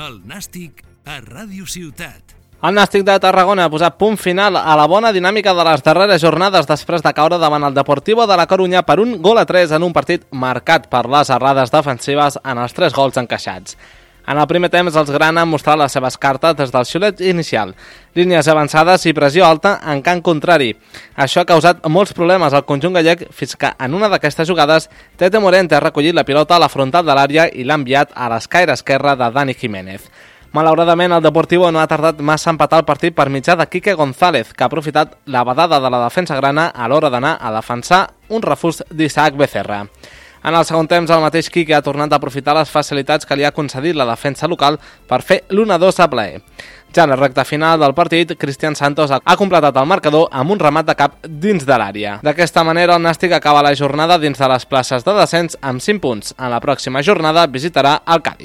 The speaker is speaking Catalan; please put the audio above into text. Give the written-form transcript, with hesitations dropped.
El Nàstic a Ràdio Ciutat. El Nàstic de Tarragona ha posat punt final a la bona dinàmica de les darreres jornades després de caure davant el Deportivo de la Corunya per 1-3 en un partit marcat per les errades defensives en els 3 gols encaixats. En el primer temps, els grana han mostrat les seves cartes des del xiulet inicial. Línies avançades i pressió alta en camp contrari. Això ha causat molts problemes al conjunt gallec fins que en una d'aquestes jugades Tete Morente ha recollit la pilota a la frontal de l'àrea i l'ha enviat a l'escaire esquerre de Dani Jiménez. Malauradament, el Deportivo no ha tardat massa a empatar el partit per mitjà de Quique González, que ha aprofitat la badada de la defensa grana a l'hora d'anar a defensar un refús d'Isaac Becerra. En el segon temps, el mateix Quique ha tornat a aprofitar les facilitats que li ha concedit la defensa local per fer l'1-2 a plaer. Ja en la recta final del partit, Cristian Santos ha completat el marcador amb un remat de cap dins de l'àrea. D'aquesta manera, el Nàstic acaba la jornada dins de les places de descens amb 5 punts. En la pròxima jornada visitarà el Cádiz.